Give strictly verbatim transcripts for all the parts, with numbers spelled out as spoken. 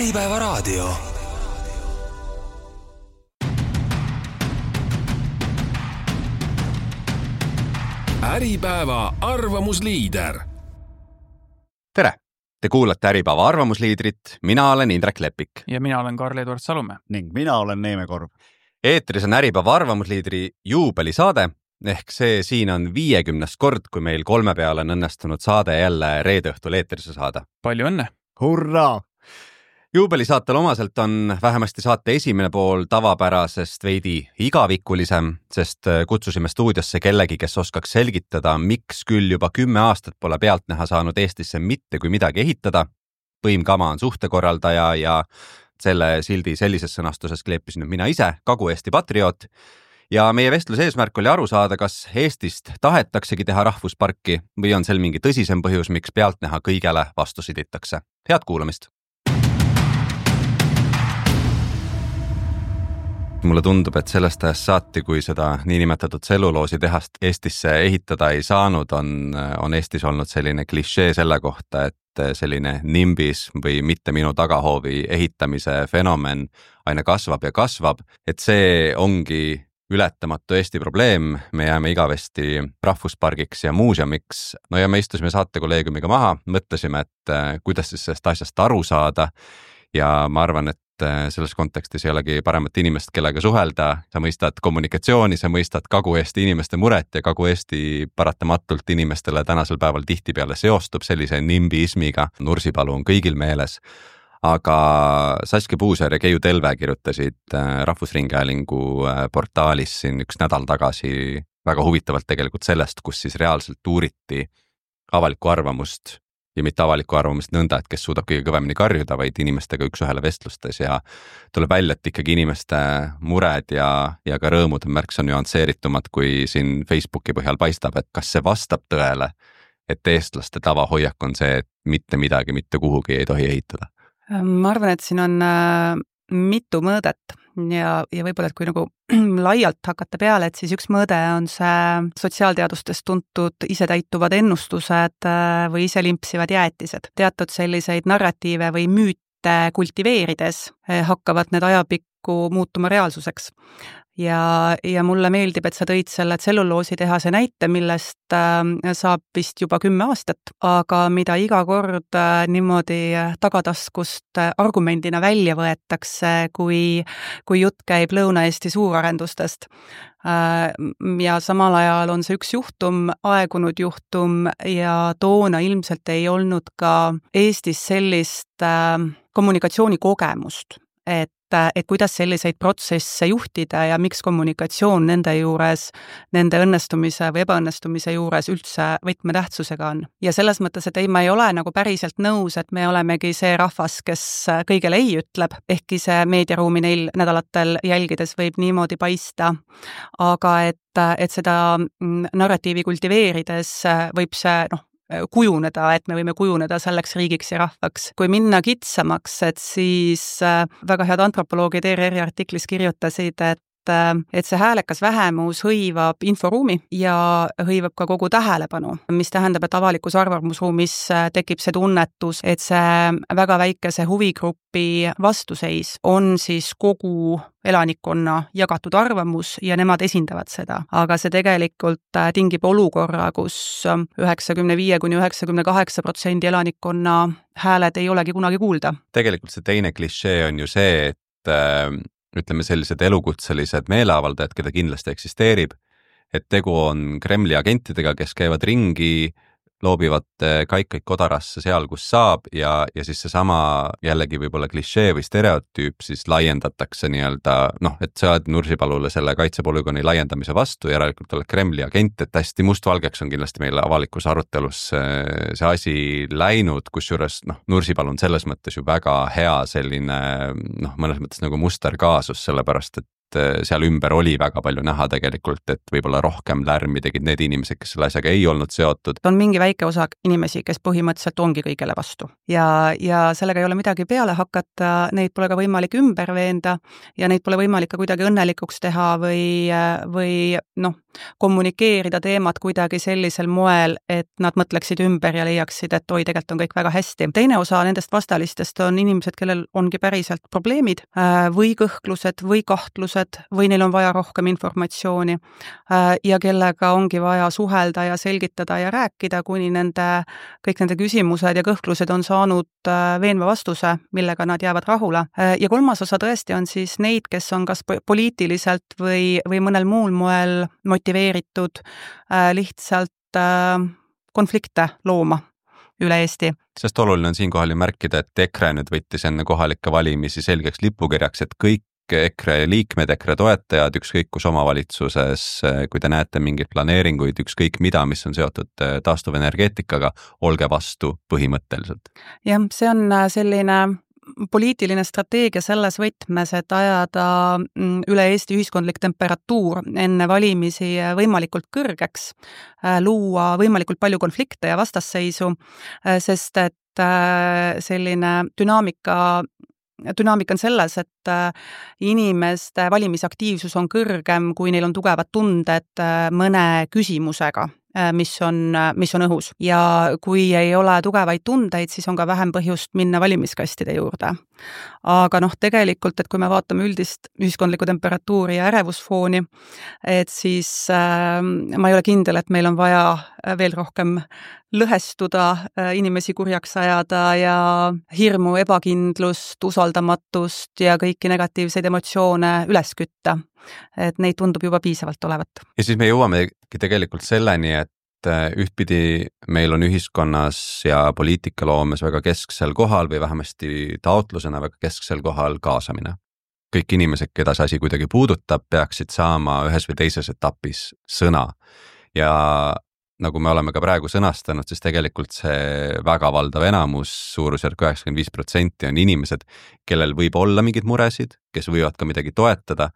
Äripäeva raadio. Äripäeva arvamusliider. Tere! Te kuulate Äripäeva arvamusliidrit. Mina olen Indrek Lepik. Ja mina olen Karl-Edward Salumäe. Ning mina olen Neeme Korv. Eetris on Äripäeva arvamusliidri juubelisaade, ehk see siin on viiekümnes kord, kui meil kolme peale on õnnestunud saade jälle reede õhtul eetrisse saada. Palju õnne! Hurraa! Juubelisaatel omaselt on vähemasti saate esimene pool tavapärasest veidi igavikulisem, sest kutsusime stuudiosse kellegi, kes oskaks selgitada, miks küll juba kümme aastat pole pealt näha saanud Eestisse mitte kui midagi ehitada. Põimkama on suhtekorraldaja ja selle sildi sellises sõnastuses kleepisin mina ise, Kagu-Eesti patrioot. Ja meie vestluse eesmärk oli aru saada, kas Eestist tahetaksegi teha rahvusparki või on sel mingi tõsisem põhjus, miks pealt näha kõigele vastu siditakse. Head kuulamist! Mulle tundub, et sellest ajast saati, kui seda niinimetatud tselluloosi tehast Eestisse ehitada ei saanud, on, on Eestis olnud selline klišee selle kohta, et selline nimbis või mitte minu tagahoovi ehitamise fenomen aina kasvab ja kasvab, et see ongi ületamatu Eesti probleem, me jääme igavesti rahvuspargiks ja muuseumiks. No ja me istusime saatekolleegiumiga maha, mõtlesime, et kuidas siis sellest asjast aru saada ja ma arvan, et selles kontekstis ei olegi paremat inimest, kellega suhelda. Sa mõistad kommunikatsiooni, sa mõistad Kagu-Eesti inimeste muret ja Kagu-Eesti paratamatult inimestele tänasel päeval tihtipeale seostub sellise nimbiismiga. Nursipalu on kõigil meeles. Aga Saskia Puusaar ja Keiu Telve kirjutasid Rahvusringhäälingu portaalis siin üks nädal tagasi väga huvitavalt tegelikult sellest, kus siis reaalselt uuriti avalikku arvamust ja mitte avalikku arvamust nõnda, et kes suudab kõige kõvemini karjuda, vaid inimestega üks ühele vestlustes ja tuleb välja, et ikkagi inimeste mured ja, ja ka rõõmud on märksa nüansseeritumad, kui siin Facebooki põhjal paistab, et kas see vastab tõele, et eestlaste tavahoiak on see, et mitte midagi, mitte kuhugi ei tohi ehitada. Ma arvan, et siin on mitu mõõdet ja, ja võib-olla, et kui nagu laialt hakata peale, et siis üks mõõde on see sotsiaalteadustes tuntud isetäituvad ennustused või iselimpsivad jäätised. Teatud selliseid narratiive või müüte kultiveerides hakkavad need ajapikku muutuma reaalsuseks. Ja, ja mulle meeldib, et sa tõid selle tselluloosi tehase näite, millest saab vist juba kümme aastat, aga mida iga kord niimoodi tagataskust argumendina välja võetakse, kui, kui jutt käib Lõuna-Eesti suurarendustest. Ja samal ajal on see üks juhtum, aegunud juhtum ja toona ilmselt ei olnud ka Eestis sellist kommunikatsioonikogemust, et et kuidas selliseid protsesse juhtida ja miks kommunikatsioon nende juures, nende õnnestumise või ebaõnnestumise juures üldse võtmetähtsusega on. Ja selles mõttes, et ei, ma ei ole nagu päriselt nõus, et me olemegi see rahvas, kes kõigele ei ütleb, ehkki see meediaruumi neil nädalatel jälgides võib niimoodi paista, aga et, et seda narratiivi kultiveerides võib see, noh, kujuneda, et me võime kujuneda selleks riigiks ja rahvaks. Kui minna kitsamaks, et siis väga head antropoloogid E R R-i artiklis kirjutasid, et et see häälekas vähemus hõivab inforuumi ja hõivab ka kogu tähelepanu, mis tähendab, et avalikus arvamusruumis tekib see tunnetus, et see väga väikese huvigrupi vastuseis on siis kogu elanikkonna jagatud arvamus ja nemad esindavad seda. Aga see tegelikult tingib olukorra, kus üheksakümmend viis kuni üheksakümmend kaheksa protsenti elanikkonna hääled ei olegi kunagi kuulda. Tegelikult see teine klišee on ju see, et ütleme sellised elukutselised meeleavaldajad, keda kindlasti eksisteerib, et tegu on Kremli agentidega, kes käivad ringi, loobivad kaikaid kodarasse seal, kus saab ja, ja siis seesama jällegi võib-olla klišee või stereotüüp siis laiendatakse nii-öelda, noh, et sa oled Nursipalule selle kaitsepolügooni laiendamise vastu, järelikult oled Kremli agent, et hästi mustvalgeks on kindlasti meil avalikus arutelus see asi läinud, kusjuures noh, Nursipalu on selles mõttes ju väga hea selline, noh, mõnes mõttes nagu musterkaasus, sellepärast, et seal ümber oli väga palju näha tegelikult, et võib-olla rohkem lärmi tegid need inimesed, kes selle asjaga ei olnud seotud. On mingi väike osa inimesi, kes põhimõtteliselt ongi kõigele vastu. Ja, ja sellega ei ole midagi peale hakata, neid pole ka võimalik ümber veenda ja neid pole võimalik ka kuidagi õnnelikuks teha või, või noh, kommunikeerida teemat kuidagi sellisel moel, et nad mõtleksid ümber ja leiaksid, et oi, tegelikult on kõik väga hästi. Teine osa nendest vastalistest on inimesed, kellel ongi päriselt probleemid või kõhklused või kahtlused või neil on vaja rohkem informatsiooni ja kellega ongi vaja suhelda ja selgitada ja rääkida, kuni nende, kõik nende küsimused ja kõhklused on saanud veenva vastuse, millega nad jäävad rahule. Ja kolmas osa tõesti on siis neid, kes on kas poliitiliselt või, või mõnel muul moel motiveeritud lihtsalt konflikte looma üle Eesti. Sest oluline on siinkohal ju märkida, et EKRE nüüd võttis enne kohalikke valimisi selgeks lipukirjaks, et kõik EKRE liikmed, EKRE toetajad, ükskõik kus omavalitsuses, kui te näete mingeid planeeringuid, ükskõik mida, mis on seotud taastuvenergeetikaga, olge vastu põhimõtteliselt. Jah, see on selline poliitiline strateegia selles võtmes, et ajada üle Eesti ühiskondlik temperatuur enne valimisi võimalikult kõrgeks, luua võimalikult palju konflikte ja vastasseisu, sest et selline dünaamika Dünaamika on selles, et inimeste valimisaktiivsus on kõrgem, kui neil on tugevad tunded mõne küsimusega, mis on, mis on õhus. Ja kui ei ole tugevaid tundeid, siis on ka vähem põhjust minna valimiskastide juurde. Aga noh, tegelikult, et kui me vaatame üldist ühiskondlikku temperatuuri ja ärevusfooni, et siis äh, ma ei ole kindel, et meil on vaja veel rohkem lõhestuda, inimesi kurjaks ajada ja hirmu, ebakindlust, usaldamatust ja kõiki negatiivseid emotsioone üles kütta. Et neid tundub juba piisavalt olevat. Ja siis me jõuame tegelikult selleni, et ühtpidi meil on ühiskonnas ja poliitikaloomes väga kesksel kohal või vähemasti taotlusena väga kesksel kohal kaasamine. Kõik inimesed, keda see asi kuidagi puudutab, peaksid saama ühes või teises etapis sõna. Ja nagu me oleme ka praegu sõnastanud, siis tegelikult see väga valdav enamus, suurusjärk üheksakümmend viis protsenti on inimesed, kellel võib olla mingid muresid, kes võivad ka midagi toetada,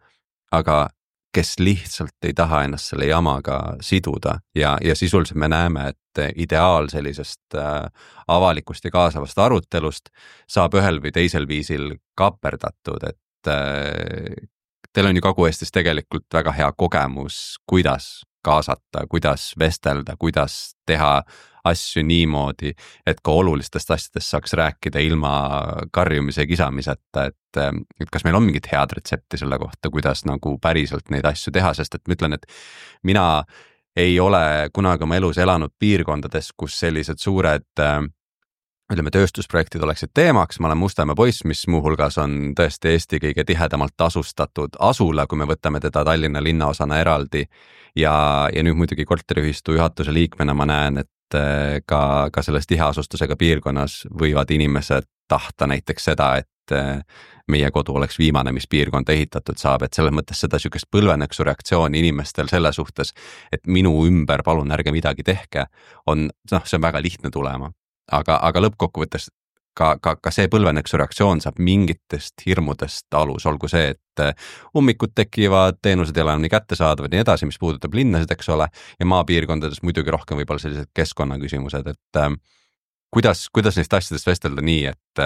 aga kes lihtsalt ei taha ennast selle jamaga siduda ja, ja sisuliselt me näeme, et ideaal sellisest äh, avalikust ja kaasavast arutelust saab ühel või teisel viisil kaperdatud, et äh, teil on ju Kagu-Eestis tegelikult väga hea kogemus, kuidas kaasata, kuidas vestelda, kuidas teha asju niimoodi, et ka olulistest asjadest saaks rääkida ilma karjumise ja kisamiseta, et, et kas meil on mingit head retsepti selle kohta, kuidas nagu päriselt neid asju teha, sest et ma ütlen, et mina ei ole kunagi oma elus elanud piirkondades, kus sellised suured ütleme, tööstusprojektid oleksid teemaks. Ma olen Mustamäe poiss, mis muuhulgas on tõesti Eesti kõige tihedamalt asustatud asula, kui me võtame teda Tallinna linnaosana eraldi ja, ja nüüd muidugi korteriühistu juhatuse liikmena ma näen, et ka, ka selles tiheasustusega piirkonnas võivad inimesed tahta näiteks seda, et meie kodu oleks viimane, mis piirkonda ehitatud saab, et selles mõttes seda sükest põlveneksu reaktsiooni inimestel selle suhtes, et minu ümber palun ärge midagi tehke, on, noh, see on väga lihtne tulema. Aga, aga lõppkokkuvõttes ka, ka, ka see põlveneksu reaktsioon saab mingitest hirmudest alus, olgu see, et ummikud tekivad, teenused ei ole enam nii kättesaadavad ja nii edasi, mis puudutab linnasid, eks ole, ja maapiirkondades muidugi rohkem võib-olla sellised keskkonnaküsimused, et äh, kuidas, kuidas neist asjadest vestelda nii, et,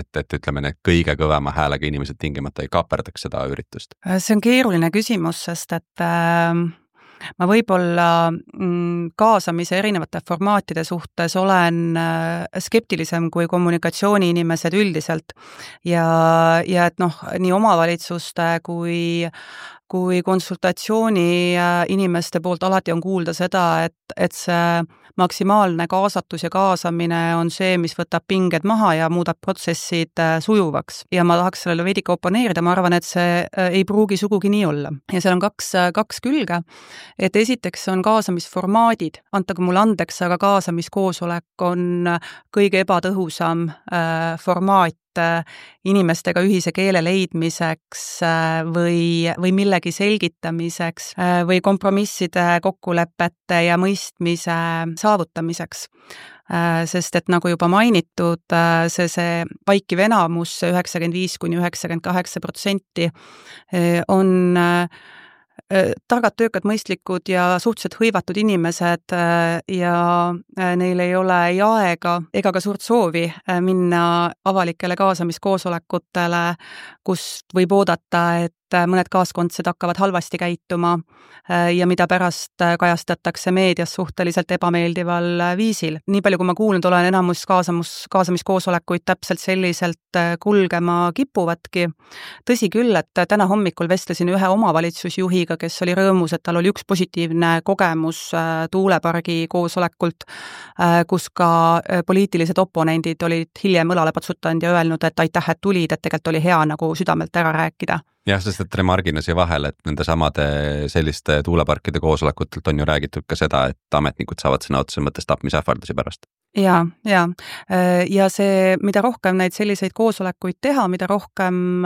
et, et ütleme, need kõige kõvema häälega inimesed tingimata ei kaperdaks seda üritust? See on keeruline küsimus, sest et äh... ma võib-olla kaasamise erinevate formaatide suhtes olen skeptilisem kui kommunikatsiooniinimesed üldiselt ja, ja et noh, nii omavalitsuste kui kui konsultatsiooni inimeste poolt alati on kuulda seda, et, et see maksimaalne kaasatus ja kaasamine on see, mis võtab pinged maha ja muudab protsessid sujuvaks. Ja ma tahaks sellele veidike oponeerida, ma arvan, et see ei pruugi sugugi nii olla. Ja seal on kaks, kaks külge, et esiteks on kaasamisformaadid, antagu mulle andeks, aga kaasamiskoosolek on kõige ebatõhusam äh, formaat inimestega ühise keele leidmiseks või, või millegi selgitamiseks või kompromisside, kokkulepete ja mõistmise saavutamiseks. Sest et nagu juba mainitud, see, see vaikiv enamus, üheksakümmend viis kuni üheksakümmend kaheksa protsenti on targad, töökad, mõistlikud ja suhteliselt hõivatud inimesed ja neil ei ole ei aega ega ka suurt soovi minna avalikele kaasamiskoosolekutele, kus võib oodata, et mõned kaaskondsed hakkavad halvasti käituma ja mida pärast kajastatakse meedias suhteliselt ebameeldival viisil. Nii palju, kui ma kuulnud olen, enamus kaasamus, kaasamiskoosolekuid täpselt selliselt kulgema kipuvadki. Tõsi küll, et täna hommikul vestlesin ühe omavalitsusjuhiga, kes oli rõõmus, et tal oli üks positiivne kogemus tuulepargi koosolekult, kus ka poliitilised oponendid olid hiljem õlale patsutanud ja öelnud, et aitäh, et tulid, et tegelikult oli hea nagu südamelt ära rääkida. Jah, sest et remargina siia vahel, et nende samade selliste tuuleparkide koosolekutelt on ju räägitud ka seda, et ametnikud saavad sõna otseses mõttes tapmisähvardusi pärast. Ja, ja. ja see, mida rohkem neid selliseid koosolekuid teha, mida rohkem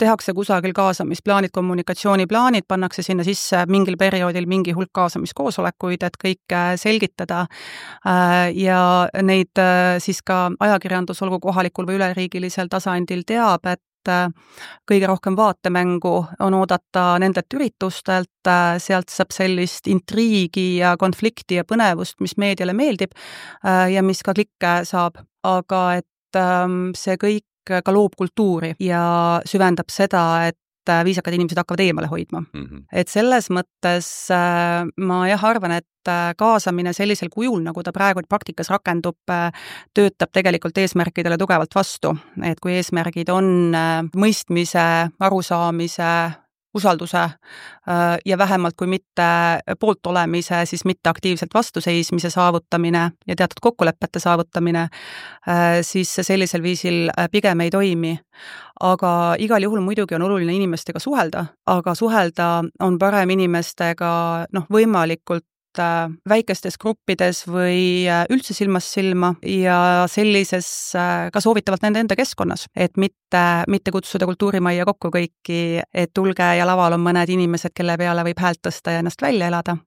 tehakse kusagil kaasamisplaanid, kommunikatsiooniplaanid, pannakse sinna sisse mingil perioodil mingi hulk kaasamiskoosolekuid, et kõike selgitada ja neid siis ka ajakirjandus, olgu kohalikul või üleriigilisel tasandil teab, et kõige rohkem vaatemängu on oodata nendelt üritustelt, sealt saab sellist intriigi ja konflikti ja põnevust, mis meediale meeldib ja mis ka klikke saab, aga et see kõik ka loob kultuuri ja süvendab seda, et viisakad inimesed hakkavad eemale hoidma. Mm-hmm. Et selles mõttes ma jah arvan, et kaasamine sellisel kujul, nagu ta praegu praktikas rakendub, töötab tegelikult eesmärkidele tugevalt vastu. Et kui eesmärgid on mõistmise, arusaamise, usalduse ja vähemalt kui mitte poolt olemise, siis mitte aktiivselt vastuseismise saavutamine ja teatud kokkulepete saavutamine, siis sellisel viisil pigem ei toimi. Aga igal juhul muidugi on oluline inimestega suhelda, aga suhelda on parem inimestega noh, võimalikult väikestes gruppides või üldse silmast silma ja sellises ka soovitavalt nende enda keskkonnas, et mitte, mitte kutsuda kultuurimajja kokku kõiki, et tulge ja laval on mõned inimesed, kelle peale võib häält tõsta ja ennast välja elada,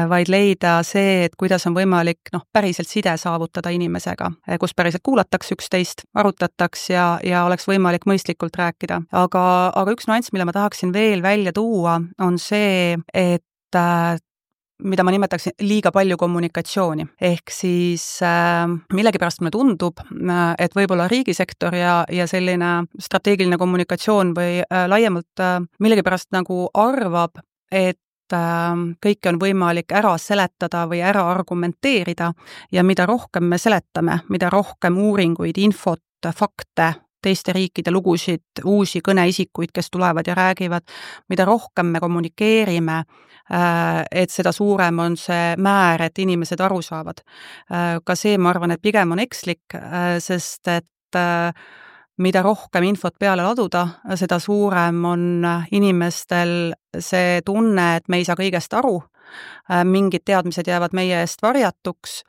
vaid leida see, et kuidas on võimalik noh, päriselt side saavutada inimesega, kus päriselt kuulatakse üksteist, arutataks ja, ja oleks võimalik mõistlikult rääkida. Aga, aga üks nüanss, mille ma tahaksin veel välja tuua, on see, et mida ma nimetaksin liiga palju kommunikatsiooni. Ehk siis äh, millegipärast mulle tundub, et võib-olla riigisektor ja, ja selline strateegiline kommunikatsioon või äh, laiemalt äh, millegipärast nagu arvab, et äh, kõike on võimalik ära seletada või ära argumenteerida ja mida rohkem me seletame, mida rohkem uuringuid, infot, fakte, teiste riikide lugusid, uusi kõneisikuid, kes tulevad ja räägivad, mida rohkem me kommunikeerime, et seda suurem on see määr, et inimesed aru saavad. Ka see, ma arvan, et pigem on ekslik, sest et mida rohkem infot peale laduda, seda suurem on inimestel see tunne, et me ei saa kõigest aru, mingid teadmised jäävad meie eest varjatuks,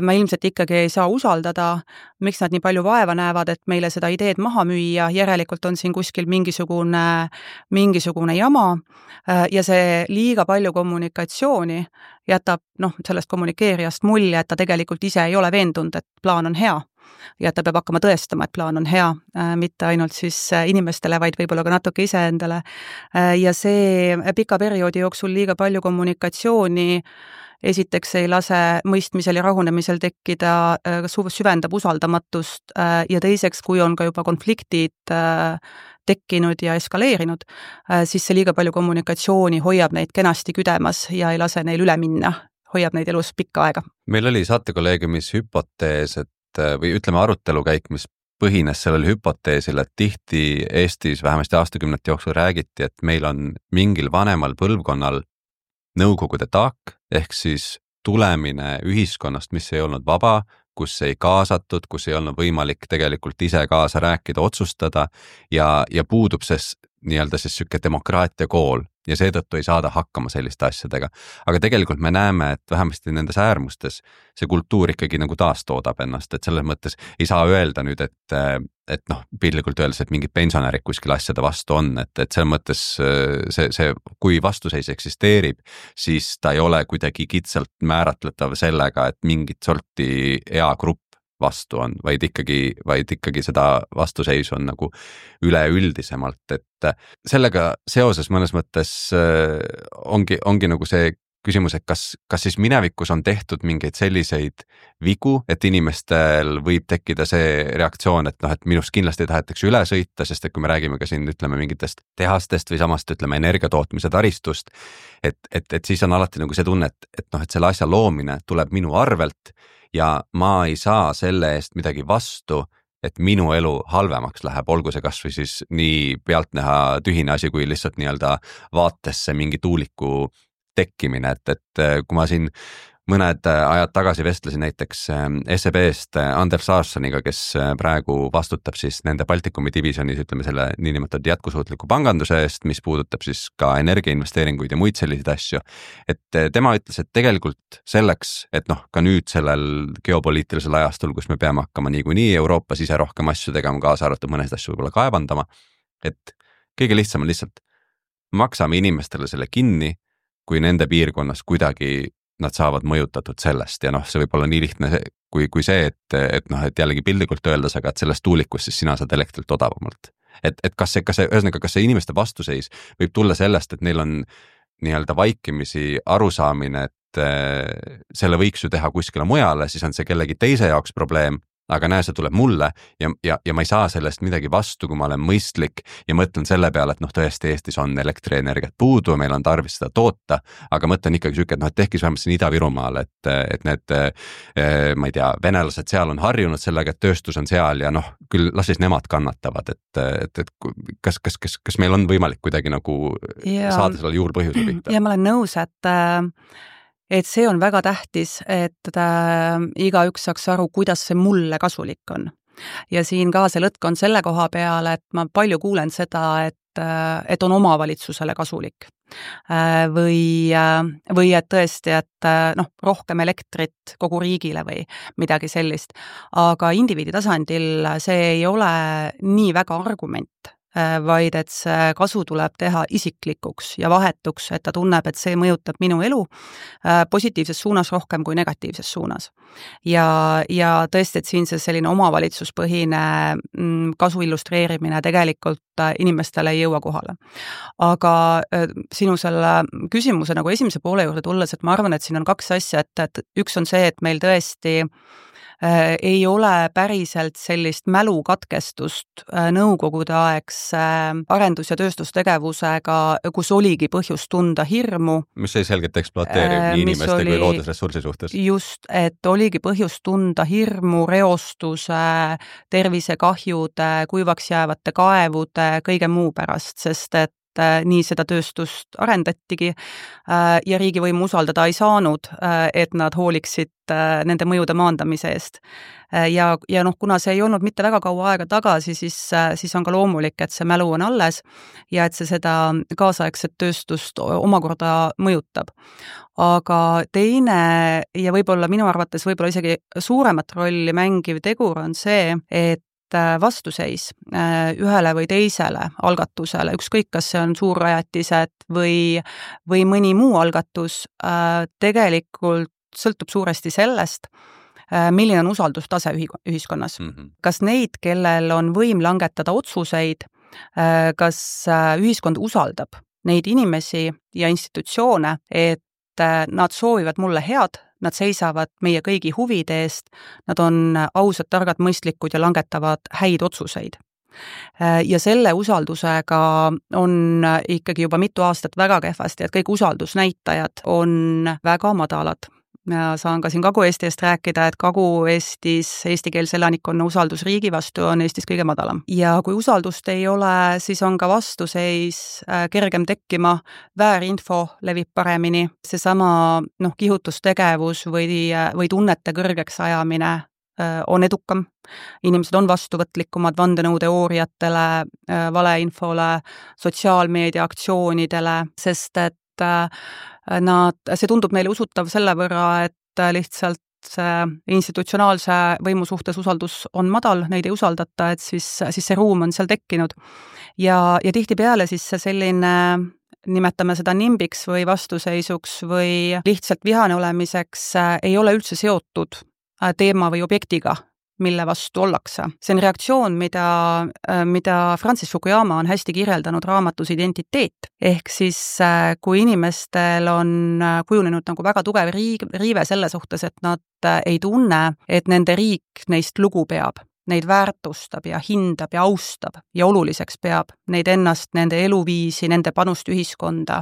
me ilmselt ikkagi ei saa usaldada, miks nad nii palju vaeva näevad, et meile seda ideed maha müüa, järelikult on siin kuskil mingisugune, mingisugune jama ja see liiga palju kommunikatsiooni jätab noh, sellest kommunikeerijast mulje, et ta tegelikult ise ei ole veendunud, et plaan on hea ja ta peab hakkama tõestama, et plaan on hea, mitte ainult siis inimestele, vaid võib-olla ka natuke iseendale. Ja see pika perioodi jooksul liiga palju kommunikatsiooni esiteks ei lase mõistmisel ja rahunemisel tekkida, süvendab usaldamatust ja teiseks, kui on ka juba konfliktid tekkinud ja eskaleerinud, siis see liiga palju kommunikatsiooni hoiab neid kenasti küdemas ja ei lase neil üle minna, hoiab neid elus pikka aega. Meil oli saatekolleegiumis hüpotees, et või ütleme arutelukäik, mis põhines sellel hüpoteesil, et tihti Eestis vähemasti aastakümnete jooksul räägiti, et meil on mingil vanemal põlvkonnal nõukogude taak, ehk siis tulemine ühiskonnast, mis ei olnud vaba, kus ei kaasatud, kus ei olnud võimalik tegelikult ise kaasa rääkida, otsustada ja, ja puudub see nii-öelda siis süke demokraatia kool ja seetõttu ei saada hakkama selliste asjadega. Aga tegelikult me näeme, et vähemasti nendes äärmustes see kultuur ikkagi nagu taastoodab ennast, et selles mõttes ei saa öelda nüüd, et, et noh, pillikult öeldes, et mingid pensionärid kuskil asjade vastu on, et, et selles mõttes see, see, kui vastuseis eksisteerib, siis ta ei ole kuidagi kitsalt määratletav sellega, et mingit sorti eagrupp vastu on, vaid ikkagi, vaid ikkagi seda vastuseisu on nagu üleüldisemalt, et sellega seoses mõnes mõttes ongi, ongi nagu see küsimus, et kas, kas siis minevikus on tehtud mingeid selliseid vigu, et inimestel võib tekkida see reaktsioon, et noh, et minust kindlasti tahetakse üle sõita, sest et kui me räägime ka siin, ütleme, mingitest tehastest või samast, ütleme, energiatootmise taristust, et, et, et siis on alati nagu see tunne, et, et noh, et selle asja loomine tuleb minu arvelt ja ma ei saa selle eest midagi vastu, et minu elu halvemaks läheb, olgu see kas või siis nii pealtnäha tühine asi, kui lihtsalt nii-öelda vaatesse mingi tuuliku tekkimine, et, et kui ma siin mõned ajad tagasi vestlesin näiteks S E B-st Anders Aarsoniga, kes praegu vastutab siis nende Baltikumi divisionis, ütleme selle niinimetatud jätkusuutliku panganduse eest, mis puudutab siis ka energiainvesteeringuid ja muid selliseid asju. Et tema ütles, et tegelikult selleks, et noh, ka nüüd sellel geopoliitilisel ajastul, kus me peame hakkama niikuinii Euroopas ise rohkem asju tegema, kaasa arvatud mõnest asju võib-olla kaevandama, et kõige lihtsam on lihtsalt maksame inimestele selle kinni, kui nende piirkonnas kuidagi nad saavad mõjutatud sellest ja noh, see võib olla nii lihtne kui, kui see, et, et noh, et jällegi pildikult öeldes, aga et sellest tuulikust siis sina saad elektrilt odavamalt. Et, et kas see, kas see, ühesõnaga, kas see inimeste vastuseis võib tulla sellest, et neil on nii-öelda vaikimisi arusaamine, et selle võiks ju teha kuskile mujale, siis on see kellegi teise jaoks probleem, aga näe, see tuleb mulle ja, ja, ja ma ei saa sellest midagi vastu, kui ma olen mõistlik ja mõtlen selle peale, et noh, tõesti Eestis on elektrienergiat puudu, meil on tarvis seda toota, aga mõtlen ikkagi süke, et noh, et tehkis vähemalt siin Ida-Virumaal, et, et need, ma ei tea, venelased seal on harjunud sellega, et tööstus on seal ja noh, küll las siis nemad kannatavad, et, et, et kas, kas, kas, kas meil on võimalik kuidagi nagu ja, saada selle juurpõhjuse pihta? Ja ma olen nõus, et et see on väga tähtis, et äh, igaüks saaks aru, kuidas see mulle kasulik on. Ja siin ka see lõtk on selle koha peale, et ma palju kuulen seda, et, äh, et on omavalitsusele kasulik. Äh, või, äh, või et tõesti, et äh, noh, rohkem elektrit kogu riigile või midagi sellist. Aga indiviidi tasandil see ei ole nii väga argument, vaid et see kasu tuleb teha isiklikuks ja vahetuks, et ta tunneb, et see mõjutab minu elu positiivses suunas rohkem kui negatiivses suunas. Ja, ja tõesti, et siin see selline omavalitsuspõhine kasu illustreerimine tegelikult inimestele ei jõua kohale. Aga sinu selle küsimuse nagu esimese poole juurde tulles, et ma arvan, et siin on kaks asja, et, et üks on see, et meil tõesti ei ole päriselt sellist mälukatkestust nõukogude aegse arendus- ja tööstustegevusega, kus oligi põhjus tunda hirmu. Mis sai selgelt ekspluateeriv nii inimeste oli, kui loodusressursi suhtes. Just, et oligi põhjus tunda hirmu, reostuse, tervisekahjude, kuivaks jäävate kaevude, kõige muu pärast, sest et nii seda tööstust arendatigi ja riigivõimu usaldada ei saanud, et nad hooliksid nende mõjude maandamise eest. Ja, ja noh, kuna see ei olnud mitte väga kaua aega tagasi, siis, siis on ka loomulik, et see mälu on alles ja et see seda kaasaegset tööstust omakorda mõjutab. Aga teine ja võib-olla minu arvates võib-olla isegi suuremat rolli mängiv tegur on see, et vastuseis ühele või teisele algatusele, ükskõik kas see on suurrajatised või, või mõni muu algatus, tegelikult sõltub suuresti sellest, milline on usaldustase ühiskonnas. Mm-hmm. Kas neid, kellel on võim langetada otsuseid, kas ühiskond usaldab neid inimesi ja institutsioone, et nad soovivad mulle head, nad seisavad meie kõigi huvide eest, nad on ausad, targad, mõistlikud ja langetavad häid otsuseid. Ja selle usaldusega on ikkagi juba mitu aastat väga kehvasti, et kõik usaldusnäitajad on väga madalad. Ja saan ka siin Kagu-Eesti eest rääkida, et Kagu-Eestis eestikeelse elanikkonna usaldus riigi vastu on Eestis kõige madalam. Ja kui usaldust ei ole, siis on ka vastuseis kergem tekkima, väärinfo levib paremini, seesama noh, kihutustegevus või, või tunnete kõrgeks ajamine on edukam. Inimesed on vastuvõtlikumad vandenõuteooriatele, valeinfole, sotsiaalmeedia aktsioonidele, sest et nad, see tundub neile usutav selle võrra, et lihtsalt see institutsionaalse võimu suhtes usaldus on madal, neid ei usaldata, et siis, siis see ruum on seal tekkinud. Ja, ja tihtipeale siis see selline, nimetame seda nimbiks või vastuseisuks või lihtsalt vihane olemiseks, ei ole üldse seotud teema või objektiga, mille vastu ollakse. See on reaktsioon, mida, mida Francis Fukuyama on hästi kirjeldanud raamatus Identiteet. Ehk siis, kui inimestel on kujunenud nagu väga tugev riive selle suhtes, et nad ei tunne, et nende riik neist lugu peab, neid väärtustab ja hindab ja austab ja oluliseks peab neid ennast, nende eluviisi, nende panust ühiskonda,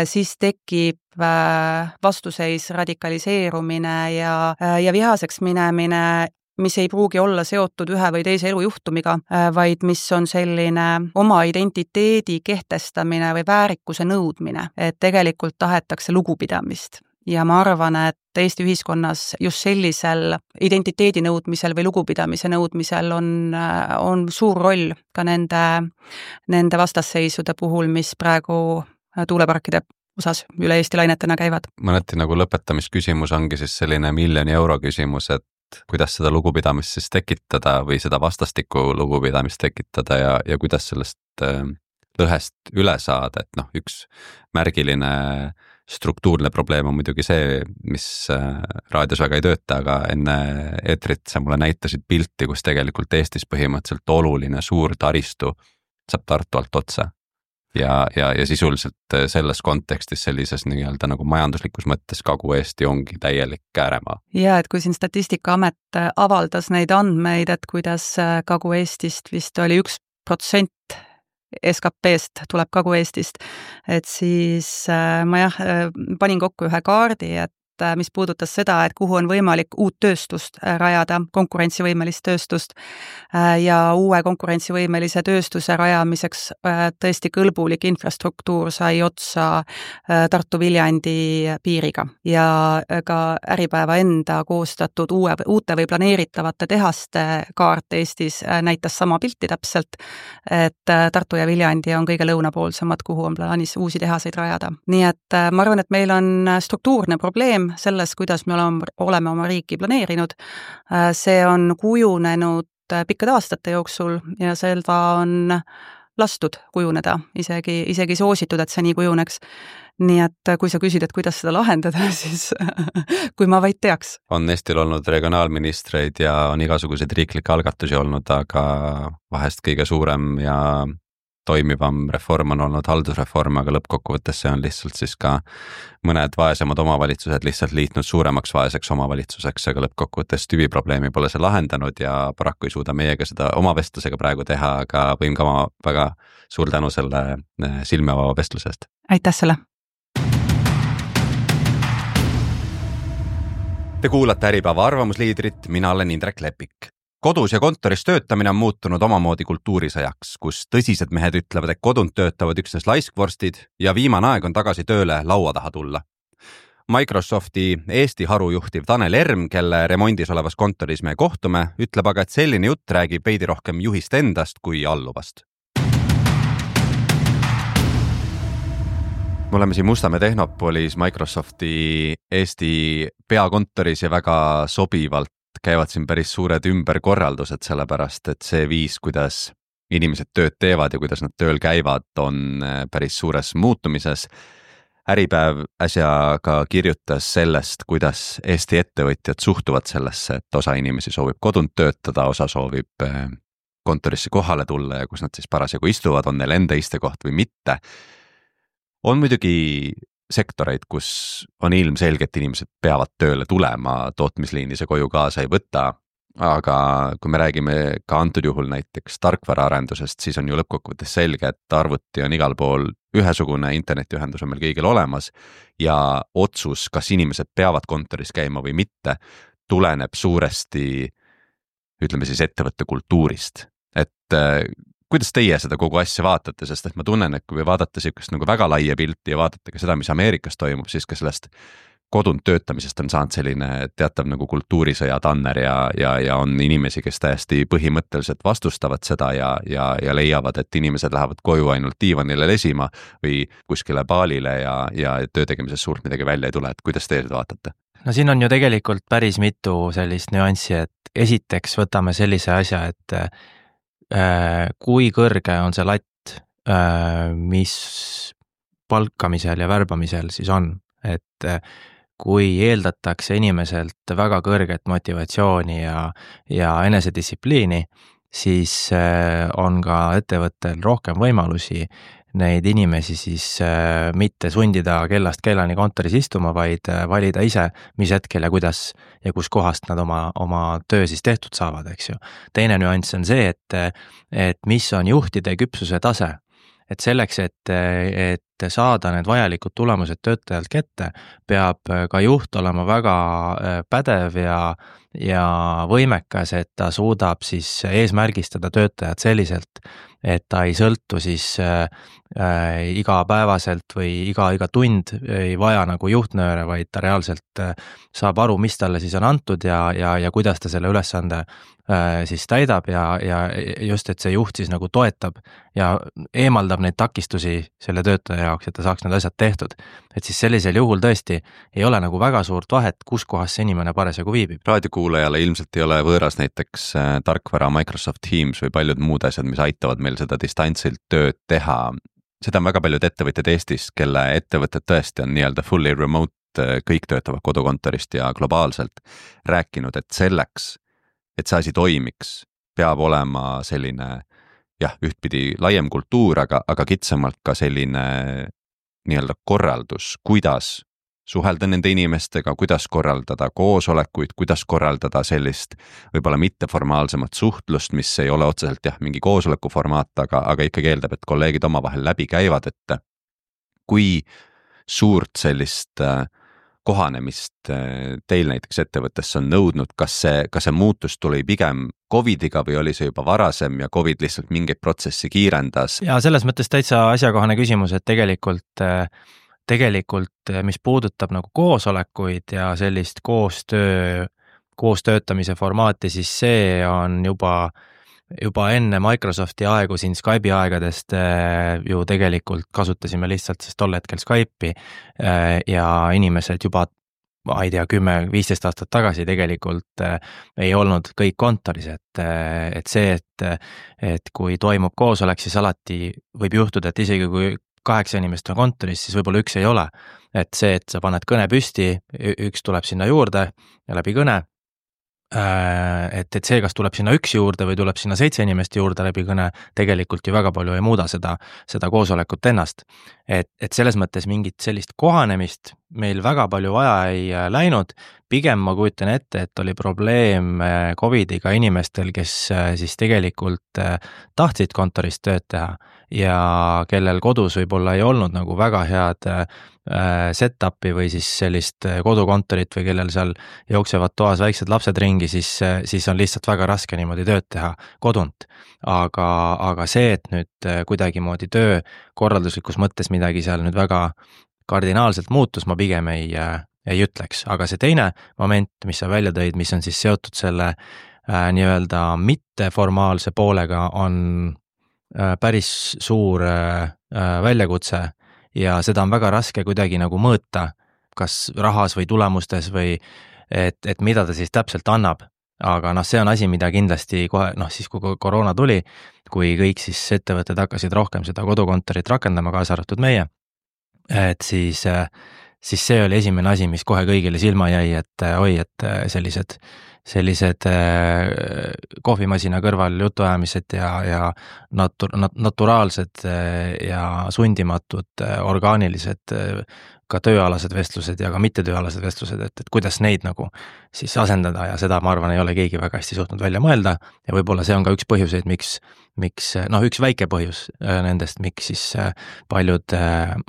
siis tekib vastuseis radikaliseerumine ja, ja vihaseks minemine, mis ei pruugi olla seotud ühe või teise elujuhtumiga, vaid mis on selline oma identiteedi kehtestamine või väärikuse nõudmine, et tegelikult tahetakse lugupidamist. Ja ma arvan, et Eesti ühiskonnas just sellisel identiteedi nõudmisel või lugupidamise nõudmisel on, on suur roll ka nende, nende vastasseisude puhul, mis praegu tuuleparkide osas üle Eesti lainetena käivad. Mõneti nagu lõpetamisküsimus ongi siis selline miljoni euro küsimus, et kuidas seda lugupidamist siis tekitada või seda vastastikku lugupidamist tekitada ja, ja kuidas sellest lõhest üle saada, et noh, üks märgiline struktuurne probleem on muidugi see, mis raadios väga ei tööta, aga enne eetrit sa mulle näitasid pilti, kus tegelikult Eestis põhimõtteliselt oluline suur taristu saab Tartu alt otsa. Ja, ja, ja sisuliselt selles kontekstis sellises nii-öelda nagu majanduslikus mõttes Kagu-Eesti ongi täielik ääremaa. Ja, et kui siin Statistikaamet avaldas neid andmeid, et kuidas Kagu-Eestist vist oli üks protsent S K P-st tuleb Kagu-Eestist, et siis ma jah, panin kokku ühe kaardi, et mis puudutas seda, et kuhu on võimalik uut tööstust rajada, konkurentsivõimelist tööstust ja uue konkurentsivõimelise tööstuse rajamiseks tõesti kõlbulik infrastruktuur sai otsa Tartu-Viljandi piiriga ja ka Äripäeva enda koostatud uue, uute või planeeritavate tehaste kaart Eestis näitas sama pilti täpselt, et Tartu ja Viljandi on kõige lõunapoolsemad, kuhu on plaanis uusi tehaseid rajada. Nii et ma arvan, et meil on struktuurne probleem selles, kuidas me oleme, oleme oma riiki planeerinud. See on kujunenud pikkade aastate jooksul ja seda on lastud kujuneda, isegi, isegi soositud, et see nii kujuneks. Nii et kui sa küsid, et kuidas seda lahendada, siis kui ma vaid teaks. On Eestil olnud regionaalministreid ja on igasuguseid riiklikke algatusi olnud, aga vahest kõige suurem ja toimivam reform on olnud haldusreform, aga lõppkokkuvõttes see on lihtsalt siis ka mõned vaesemad omavalitsused lihtsalt liitnud suuremaks vaeseks omavalitsuseks, aga lõppkokkuvõttes tüviprobleemi pole see lahendanud ja paraku ei suuda meiega seda oma vestlusega praegu teha, aga võin ka oma väga suur tänu selle silmavaba vestlusest. Aitäh selle! Te kuulate Äripäeva arvamusliidrit, mina olen Indrek Lepik. Kodus ja kontoris töötamine on muutunud omamoodi kultuurisõjaks, kus tõsised mehed ütlevad, et kodunt töötavad üksnes laiskvorstid ja viimane aeg on tagasi tööle laua taha tulla. Microsofti Eesti harujuhtiv Tanel Erm, kelle remondis olevas kontoris me kohtume, ütleb aga, et selline jutt räägib veidi rohkem juhist endast kui alluvast. Me oleme siin Mustamäe Tehnopolis Microsofti Eesti peakontoris ja väga sobivalt käivad siin päris suured ümberkorraldused, sellepärast et see viis, kuidas inimesed tööd teevad ja kuidas nad tööl käivad, on päris suures muutumises. Äripäev äsja ka kirjutas sellest, kuidas Eesti ettevõtjad suhtuvad sellesse, et osa inimesi soovib kodunt töötada, osa soovib kontorisse kohale tulla ja kus nad siis parasjagu istuvad, on neil enda istekoht või mitte. On muidugi sektoreid, kus on ilmselgelt inimesed peavad tööle tulema, tootmisliini see koju kaasa ei võta, aga kui me räägime ka antud juhul näiteks tarkvaraarendusest, siis on ju lõppkokkuvõttes selge, et arvuti on igal pool ühesugune, internetiühendus on meil kõigil olemas ja otsus, kas inimesed peavad kontoris käima või mitte, tuleneb suuresti, ütleme siis ettevõtte kultuurist. Et kuidas teie seda kogu asja vaatate, sest et ma tunnen, et kui vaadata siukest nagu väga laia pilti ja vaatate ka seda, mis Ameerikas toimub, siis ka sellest kodunt töötamisest on saanud selline teatav nagu kultuurisõja tanner ja, ja, ja on inimesi, kes täiesti põhimõtteliselt vastustavad seda ja, ja, ja leiavad, et inimesed lähevad koju ainult diivanile lesima või kuskile baalile ja, ja töö tegemises suurt midagi välja ei tule, et kuidas teie seda vaatate? No siin on ju tegelikult päris mitu sellist nüanssi, et esiteks võtame sellise asja, et kui kõrge on see latt, mis palkamisel ja värbamisel siis on, et kui eeldatakse inimeselt väga kõrget motivatsiooni ja, ja enesedistsipliini, siis on ka ettevõttel rohkem võimalusi neid inimesi siis mitte sundida kellast kellani kontoris istuma, vaid valida ise, mis hetkel ja kuidas ja kus kohast nad oma, oma töö siis tehtud saavad, eks ju. Teine nüanss on see, et, et mis on juhtide küpsuse tase. Et selleks, et, et saada need vajalikud tulemused töötajalt kätte, peab ka juht olema väga pädev ja, ja võimekas, et ta suudab siis eesmärgistada töötajad selliselt, et ta ei sõltu siis äh, igapäevaselt või iga, iga tund ei vaja nagu juhtnööre, vaid ta reaalselt äh, saab aru, mis talle siis on antud ja, ja, ja kuidas ta selle ülesande äh, siis täidab ja, ja just, et see juht siis nagu toetab ja eemaldab neid takistusi selle töötaja jaoks, et ta saaks need asjad tehtud. Et siis sellisel juhul tõesti ei ole nagu väga suurt vahet, kus kohas see inimene parasjagu viibib. Raadiokuulajale ilmselt ei ole võõras näiteks tarkvara Microsoft Teams või paljud muud asjad, mis aitavad meil seda distantsilt tööd teha. Seda on väga paljud ettevõtted Eestis, kelle ettevõtted tõesti on nii-öelda fully remote, kõik töötavad kodukontorist ja globaalselt rääkinud, et selleks, et see asi toimiks, peab olema selline jah, ühtpidi laiem kultuur, aga, aga kitsamalt ka selline nii-öelda korraldus, kuidas suhelda nende inimestega, kuidas korraldada koosolekuid, kuidas korraldada sellist võib-olla mitteformaalsemat suhtlust, mis ei ole otseselt jah, mingi koosoleku formaat, aga, aga ikkagi eeldab, et kolleegid omavahel läbi käivad, et kui suurt sellist kohanemist teil näiteks ettevõttes on nõudnud, kas see, kas see muutus tuli pigem Covidiga või oli see juba varasem ja Covid lihtsalt mingeid protsessi kiirendas? Ja selles mõttes täitsa asjakohane küsimus, et tegelikult tegelikult, mis puudutab nagu koosolekuid ja sellist koostöö, koostöötamise formaati, siis see on juba, juba enne Microsofti aegu siin Skype'i aegadest ju tegelikult kasutasime lihtsalt siis tol hetkel Skype'i ja inimesed juba, ma ei tea, kümme viisteist aastat tagasi tegelikult ei olnud kõik kontoris, et, et see, et, et kui toimub koosolek, siis alati võib juhtuda, et isegi kui kaheksa inimest on kontoris, siis võib-olla üks ei ole. Et see, et sa paned kõne püsti, üks tuleb sinna juurde ja läbi kõne, et, et see, kas tuleb sinna üks juurde või tuleb sinna seitse inimest juurde läbi kõne, tegelikult ju väga palju ei muuda seda, seda koosolekut ennast. Et, et selles mõttes mingit sellist kohanemist meil väga palju vaja ei läinud, pigem ma kujutan ette, et oli probleem Covidiga inimestel, kes siis tegelikult tahtsid kontorist tööd teha ja kellel kodus võib-olla ei olnud nagu väga head set-upi või siis sellist kodukontorit või kellel seal jooksevad toas väiksed lapsed ringi, siis, siis on lihtsalt väga raske niimoodi tööd teha kodunt. Aga, aga see, et nüüd kuidagimoodi töö korralduslikus mõttes midagi seal nüüd väga kardinaalselt muutus, ma pigem ei, ei ütleks. Aga see teine moment, mis sa välja tõid, mis on siis seotud selle äh, nii-öelda mitteformaalse poolega, on äh, päris suur äh, väljakutse ja seda on väga raske kuidagi nagu mõõta, kas rahas või tulemustes või et, et mida ta siis täpselt annab. Aga noh, see on asi, mida kindlasti kohe, noh siis kui koroona tuli, kui kõik siis ettevõtted hakkasid rohkem seda kodukontorit rakendama, kaasa arvatud meie, et siis, siis see oli esimene asi, mis kohe kõigile silma jäi, et oi, et sellised, sellised kohvimasina kõrval jutuajamised ja, ja natu, nat, naturaalsed ja sundimatud orgaanilised ka tööalased vestlused ja ka mittetööalased vestlused, et, et kuidas neid nagu siis asendada ja seda, ma arvan, ei ole keegi väga hästi suutnud välja mõelda ja võib-olla see on ka üks põhjuseid, miks, miks noh, üks väike põhjus nendest, miks siis paljud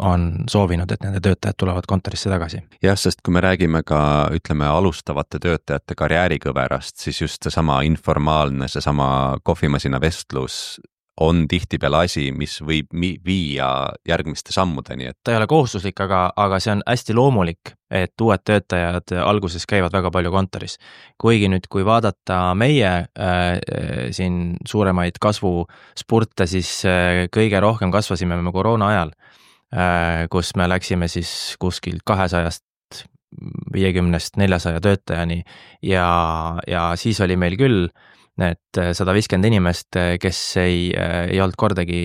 on soovinud, et nende töötajad tulevad kontorisse tagasi. Jah, sest kui me räägime ka, ütleme, alustavate töötajate karjäärikõverast, siis just see sama informaalne, see sama kohvimasina vestlus on tihtipeale asi, mis võib viia järgmiste sammudeni. Et... ta ei ole kohustuslik, aga, aga see on hästi loomulik, et uued töötajad alguses käivad väga palju kontoris. Kuigi nüüd, kui vaadata meie äh, siin suuremaid kasvuspurte, siis äh, kõige rohkem kasvasime me koroona ajal, äh, kus me läksime siis kuskil kahesajast viiekümnest neljasaja töötajani ja, ja siis oli meil küll need sada viiskümmend inimest, kes ei, ei olnud kordagi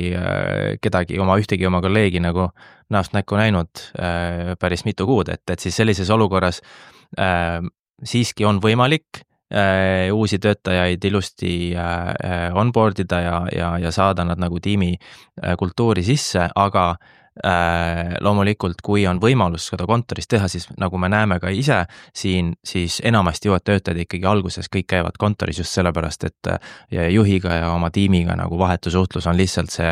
kedagi oma, ühtegi oma kolleegi nagu näost näkku näinud päris mitu kuud, et, et siis sellises olukorras äh, siiski on võimalik äh, uusi töötajaid ilusti äh, onboard ida ja, ja, ja saada nad nagu tiimi äh, kultuuri sisse, aga Äh, loomulikult, kui on võimalus seda kontoris teha, siis nagu me näeme ka ise siin, siis enamasti uued töötajad ikkagi alguses kõik käivad kontoris just sellepärast, et juhiga ja oma tiimiga nagu vahetusuhtlus on lihtsalt see,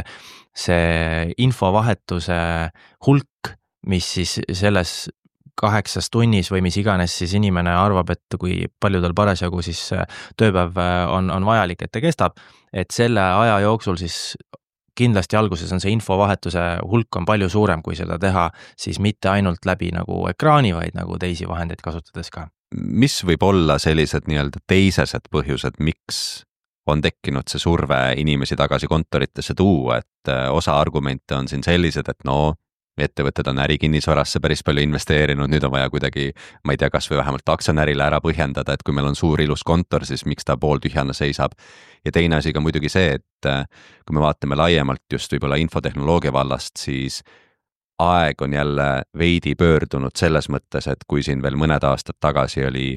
see infovahetuse hulk, mis siis selles kaheksas tunnis või mis iganes siis inimene arvab, et kui palju tal parasjagu siis tööpäev on, on vajalik, et ta kestab, et selle aja jooksul siis kindlasti alguses on see infovahetuse hulk on palju suurem, kui seda teha siis mitte ainult läbi nagu ekraani, vaid nagu teisi vahendeid kasutades ka. Mis võib olla sellised nii-öelda teisesed põhjused, miks on tekkinud see surve inimesi tagasi kontoritesse tuua, et osa argumente on siin sellised, et no ettevõtted on ärikinnisvarasse päris palju investeerinud, nüüd on vaja kuidagi, ma ei tea, kas või vähemalt aktsionärile ära põhjendada, et kui meil on suur ilus kontor, siis miks ta pooltühjana seisab. Ja teine asi ka muidugi see, et kui me vaatame laiemalt just võib-olla infotehnoloogia vallast, siis aeg on jälle veidi pöördunud selles mõttes, et kui siin veel mõned aastad tagasi oli,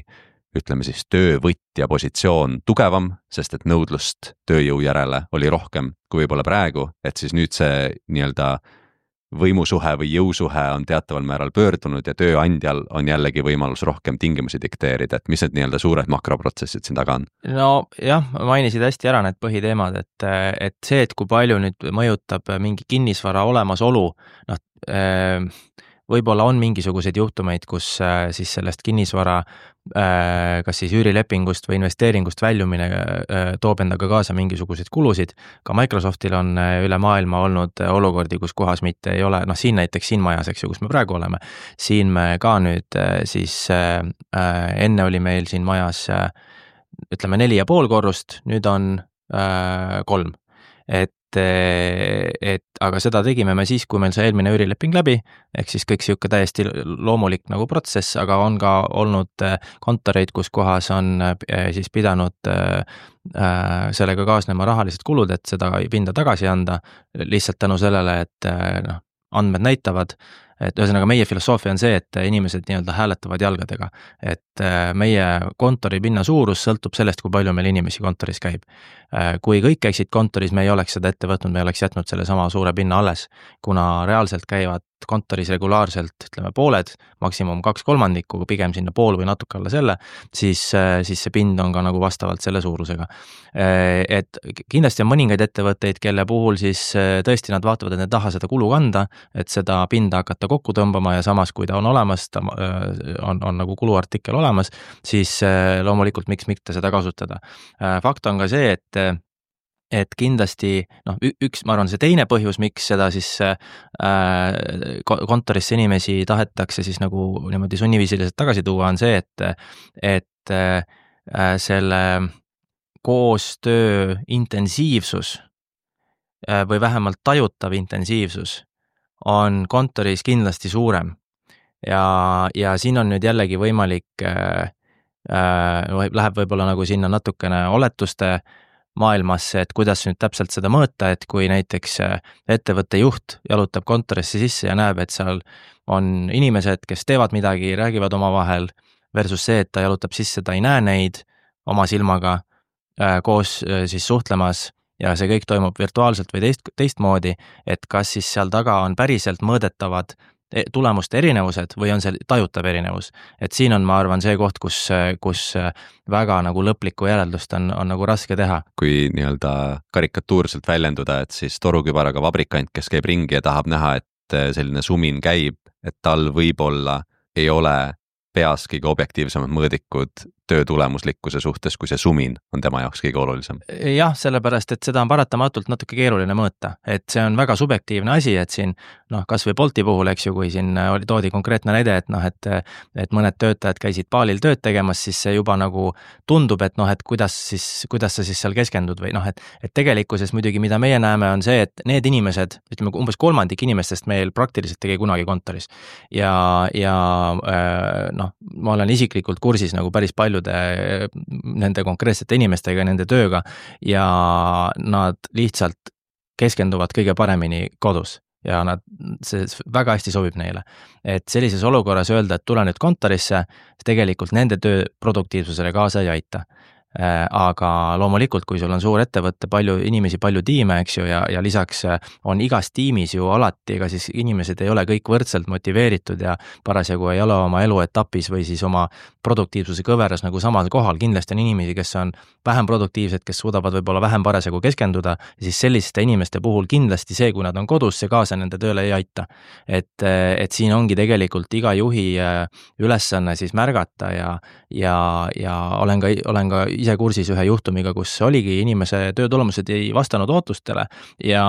ütleme siis, töövõtja positsioon tugevam, sest et nõudlust tööjõu järele oli rohkem kui võib-olla praegu, et siis nüüd see nii-öelda võimusuhe või jõusuhe on teataval määral pöördunud ja tööandjal on jällegi võimalus rohkem tingimusi dikteerida, et mis need nii-öelda suured makroprotsessid siin taga on? No jah, mainisid hästi ära need põhiteemad, et, et see, et kui palju nüüd mõjutab mingi kinnisvara olemasolu, noh, võib-olla on mingisuguseid juhtumeid, kus siis sellest kinnisvara kas siis üürilepingust või investeeringust väljumine toob endaga kaasa mingisuguseid kulusid. Ka Microsoftil on üle maailma olnud olukordi, kus kohas mitte ei ole, noh siin näiteks siin majas, eks ju, kus me praegu oleme, siin me ka nüüd siis enne oli meil siin majas ütleme neli ja pool korrust, nüüd on kolm. Et et aga seda tegime me siis, kui meil see eelmine üürileping läbi, ehk siis kõik siuke täiesti loomulik nagu protsess, aga on ka olnud kontoreid, kus kohas on siis pidanud sellega kaasnema rahalised kulud, et seda pinda tagasi anda, lihtsalt tänu sellele, et noh, andmed näitavad, et ühesõnaga meie filosoofia on see, et inimesed nii-öelda hääletavad jalgadega, et meie kontori pinna suurus sõltub sellest, kui palju meil inimesi kontoris käib. Kui kõik käiksid kontoris, me ei oleks seda ette võtnud, me oleks jätnud selle sama suure pinna alles, kuna reaalselt käivad kontoris regulaarselt, ütleme pooled, maksimum kaks kolmandikku, pigem sinna pool või natuke alla selle, siis, siis see pind on ka nagu vastavalt selle suurusega. Et kindlasti on mõningaid ettevõtteid, kelle puhul siis tõesti nad vaatavad, et ne taha seda kulu kanda, et seda pinda hakata kokku tõmbama ja samas, kui ta on olemas, ta on, on nagu kuluartikkel olemas, siis loomulikult miks mitte seda kasutada. Fakt on ka see, et et kindlasti, noh, üks, ma arvan, see teine põhjus, miks seda siis äh, kontorisse inimesi tahetakse siis nagu niimoodi sunniviisiliselt tagasi tuua, on see, et, et äh, selle koostöö intensiivsus äh, või vähemalt tajutav intensiivsus on kontoris kindlasti suurem. Ja, ja siin on nüüd jällegi võimalik, äh, äh, läheb võib-olla nagu sinna natukene oletuste maailmasse, et kuidas nüüd täpselt seda mõõta, et kui näiteks ettevõtte juht jalutab kontorisse sisse ja näeb, et seal on inimesed, kes teevad midagi, räägivad omavahel, versus see, et ta jalutab sisse, ta ei näe neid oma silmaga koos siis suhtlemas ja see kõik toimub virtuaalselt või teist, teistmoodi, et kas siis seal taga on päriselt mõõdetavad tulemuste erinevused või on see tajutav erinevus. Et siin on, ma arvan, see koht, kus, kus väga nagu lõplikku järeldust on, on nagu raske teha. Kui nii-öelda karikatuurselt väljenduda, et siis torukübaraga vabrikant, kes käib ringi ja tahab näha, et selline sumin käib, et tal võib-olla ei ole peas kõige objektiivsemad mõõdikud töö tulemuslikkuse suhtes, kui see sumin on tema jaoks kõige olulisem. Jah, sellepärast, et seda on paratamatult natuke keeruline mõõta, et see on väga subjektiivne asi, et siin, noh, kas või Bolti puhul, eks ju, kui siin oli toodi konkreetne näide, et noh, et, et mõned töötajad käisid baalil tööd tegemas, siis see juba nagu tundub, et noh, et kuidas siis, kuidas sa siis seal keskendud või noh, et, et tegelikkuses muidugi, mida meie näeme, on see, et need inimesed, ütleme umbes kolmandik inimestest meil praktiliselt tegi kunagi kontoris ja, ja noh, ma olen isiklikult kursis nagu päris palju paljude nende konkreetsete inimestega, nende tööga ja nad lihtsalt keskenduvad kõige paremini kodus ja nad, see väga hästi sobib neile. Et sellises olukorras öelda, et tule nüüd kontorisse, tegelikult nende töö produktiivsusele kaasa ei aita. Aga loomulikult, kui sul on suur ettevõtte, palju inimesi, palju tiime, eks ju, ja, ja lisaks on igas tiimis ju alati, ega siis inimesed ei ole kõik võrdselt motiveeritud ja parasjagu ei ole oma eluetapis või siis oma produktiivsuse kõveras nagu samal kohal. Kindlasti on inimesi, kes on vähem produktiivsed, kes suudavad võib-olla vähem parasjagu keskenduda ja siis selliste inimeste puhul kindlasti see, kui nad on kodus, see kaasa nende tööle ei aita. Et, et siin ongi tegelikult iga juhi ülesanne siis märgata ja, ja, ja olen ka, olen ka ise kursis ühe juhtumiga, kus oligi inimese töötulemused ei vastanud ootustele ja,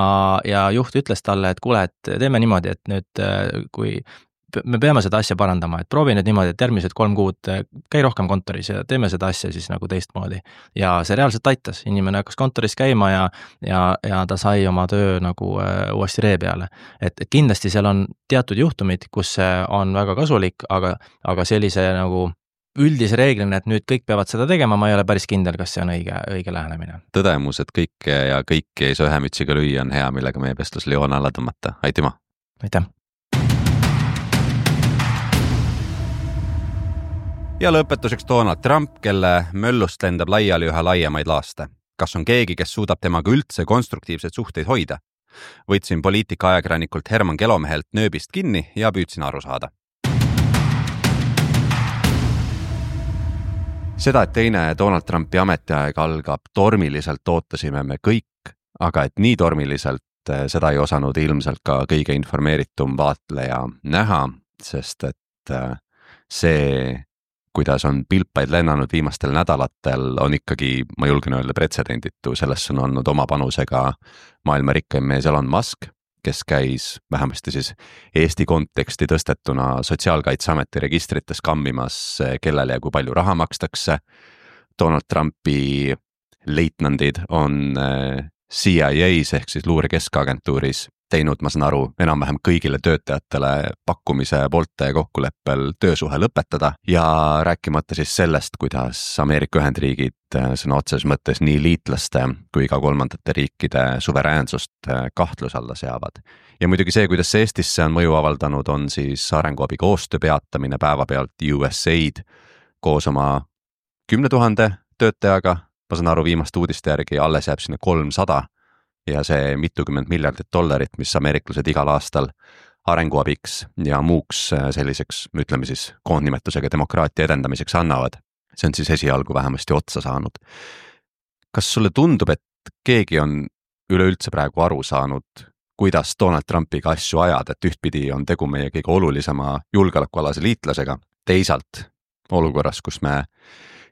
ja juht ütles talle, et kuule, et teeme niimoodi, et nüüd kui me peame seda asja parandama, et proovi nüüd niimoodi, et järgmised kolm kuud käi rohkem kontoris ja teeme seda asja siis nagu teistmoodi. Ja see reaalselt aitas, inimene hakkas kontoris käima ja, ja, ja ta sai oma töö nagu uuesti ree peale. Et, et kindlasti seal on teatud juhtumid, kus see on väga kasulik, aga, aga sellise nagu üldise reeglina, et nüüd kõik peavad seda tegema, ma ei ole päris kindel, kas see on õige, õige lähenemine. Tõdemus, et kõike ja kõiki ei saa ühe mütsiga lüüa, on hea, millega meie vestlusele joon alla tõmmata. Aitäh! Aitäh! Ja lõpetuseks Donald Trump, kelle möllust lendab laiali üha laiemaid laaste. Kas on keegi, kes suudab temaga üldse konstruktiivseid suhteid hoida? Võtsin poliitika ajakirjanikult Herman Kelomehelt nööbist kinni ja püüdsin aru saada. Seda, et teine Donald Trumpi ametiaeg algab tormiliselt, ootasime me kõik, aga et nii tormiliselt seda ei osanud ilmselt ka kõige informeeritum vaatleja näha, sest et see, kuidas on pilpaid lennanud viimastel nädalatel, on ikkagi, ma julgen öelda, pretsedenditu. Selles on olnud oma panusega maailma rikkaim mees Elon Musk, kes käis vähemasti siis Eesti konteksti tõstetuna Sotsiaalkaitseameti registrites kammimas, kellele ja kui palju raha makstakse. Donald Trumpi leitnandid on C I A's ehk siis luure keskagentuuris teinud, ma saan aru, enam-vähem kõigile töötajatele pakkumise poolte kokkuleppel töösuhe lõpetada ja rääkimata siis sellest, kuidas Ameerika Ühendriigid sõna otses mõttes nii liitlaste kui ka kolmandate riikide suveräänsust kahtluse alla seavad. Ja muidugi see, kuidas see Eestisse on mõju avaldanud, on siis arenguabi koostöö peatamine päevapealt U S Aid koos oma kümne tuhande töötajaga, ma saan aru, viimaste uudiste järgi alles jääb sinna kolmsada ja see mitukümmend miljardit dollarit, mis ameeriklased igal aastal arenguabiks ja muuks selliseks, ütleme siis, koondnimetusega demokraatia edendamiseks annavad. See on siis esialgu vähemasti otsa saanud. Kas sulle tundub, et keegi on üleüldse praegu aru saanud, kuidas Donald Trumpiga asju ajada, et ühtpidi on tegu meie kõige olulisema julgeolekualase liitlasega, teisalt olukorras, kus me